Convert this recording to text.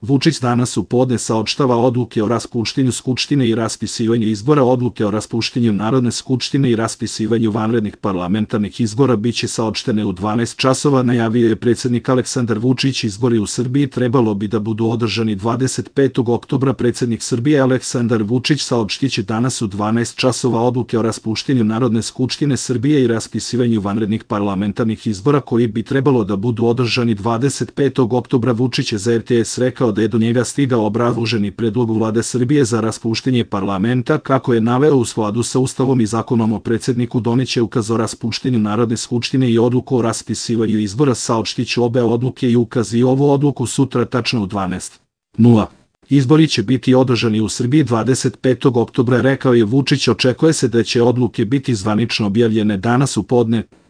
Vučić danas u podne saopštava odluke o raspuštanju Skupštine i raspisivanju izbora. Odluke o raspuštanju Narodne skupštine i raspisivanju vanrednih parlamentarnih izbora biće saopštene u 12 časova, najavio je predsjednik Aleksandar Vučić. Izbori u Srbiji trebalo bi da budu održani 25. oktobra. Predsjednik Srbije Aleksandar Vučić saopštiće danas u 12 časova odluke o raspuštanju Narodne skupštine Srbije i raspisivanju vanrednih parlamentarnih izbora koji bi trebalo da budu održani 25. oktobra. Vučić je za RTS rekao da je do njega stigao obrazloženi predlog Vlade Srbije za raspuštenje parlamenta. Kako je naveo, u skladu sa Ustavom i Zakonom o predsjedniku doneće ukaz o raspuštenju Narodne skupštine i odluku o raspisivanju izbora. Saopštiće obe odluke i ukaz i ovu odluku sutra tačno u 12:00. Izbori će biti održani u Srbiji 25. oktobra, rekao je Vučić. Očekuje se da će odluke biti zvanično objavljene danas u podne.